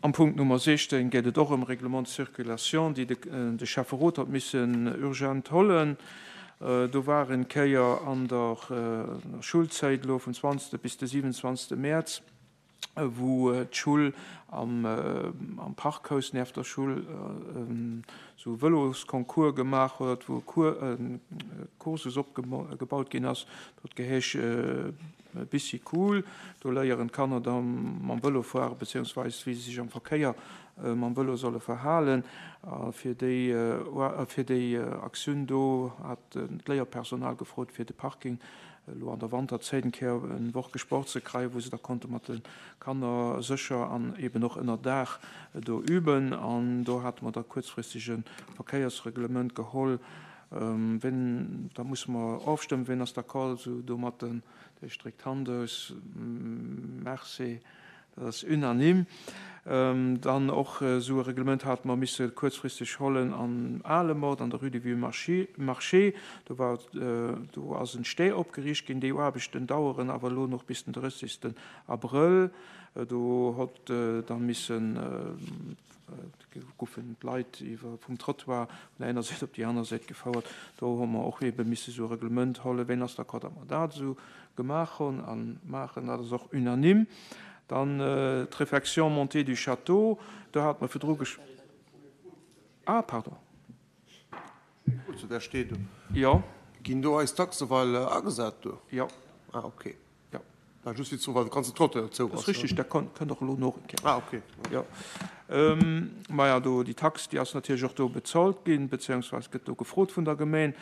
Am Punkt Nummer 16 geet et och ëm Règlement de circulation, déi de Schäfferot hat missen urgent hollen. Do war en Kéier an der Schulzäit elo vum 20. bis de 27. Mäerz, wou d'Schull am Parkhaus nieft der Schull esou e Vëlosconcours gemaach huet, wou e Kursus opgebaut ginn ass. Dat geheesch Bicycool, do léieren d'Kanner da mam Vëlo fuere beziehungsweis wéi se sech am Verkéier mam Vëlo solle verhalen. A fir déi fir déi Aktioun do hat d'Léierpersonal gefrot fir de Parking elo an der Wanterzäit eng Kéier eng Woch gesport ze kréien, wou se da konnte mat de Kanner sécher an eben och ënner Daach do üben. An do hate mer da kuerzfristeg e Verkéiersreglement geholl. Wien, da musse mer ofstëmmen, wien ass d'accord esou domatten? Dee stréckt d'Hand aus. Merci, dat ass unanime. Dann och esou e Reglement hate mer misse kuerzfristeg hollen am Alemort an der Rue du Vieux Marché. Do war, do ass en Stee opgeriicht ginn. Déi Aarbechten daueren awer elo nach bis den 30. Abrëll. Do hott da missen goufen d'Leit iwwer vum Trottoir vun der enger Säit op déi aner Säit gefouert. Do hu mer och ebe misse sou e Reglement hollen. Ween ass d'accord, datt mer dat esou gemaach hunn a maachen? Dat ass och unanime. Dann d'Réfection montée du château, do hate mer virdru gesch. Ah, pardon. Zu där steet. Jo. Ginn do eis Taxe well agesat do? Jo. Ah, okay. Jo. War just fir ze soen, well de ganzen Trottoir zou ass. Dat ass richtig, dat kënnt och elo noch eng Kéier. Ah, okay. Jo. Maja, do déi Tax, déi ass natierlech och do bezolt ginn, beziehungsweise gëtt do gefrot vun der Gemeen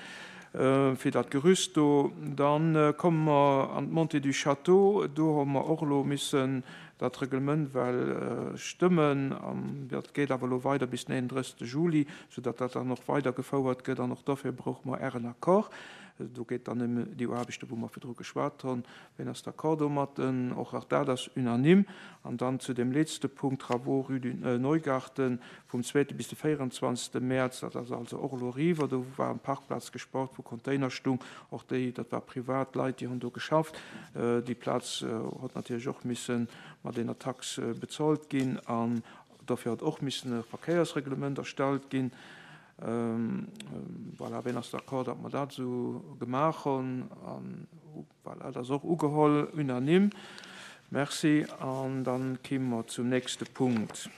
fir dat Gerüst do. Dann komme mer an d'Montée du Château. Do hu mer och elo missen dat Reglement well stëmmen. An dat geet awer elo weider bis den 31. Juli, soudatt dat dann och weidergefouert gëtt. An och dofir brauche mer Ären Accord. Do geet dann ëm déi Aarbechten, wou mer virdru geschwat hunn. Wien ass d'accord domatten? Och dat ass unanime. An dann zu deem letzte Punkt, Travaux rue du Neugarten vum zweete bis de 24. Mäerz. Dat ass also och elo eriwwer. Do war eng Parkplaz gespart, wou Container stung. Och déi, dat war privat Leit, déi hunn do geschafft. Déi Plaz huet natierlech och misse mat enger Tax bezolt ginn. An dofir huet och missen e Verkéiersreglement erstallt ginn. Voilà, wien ass d'accord, datt mer dat esou gemaach hunn? An voilà, dat ass och ugeholl, unanime. Merci. An da kimme mer zum nächste Punkt.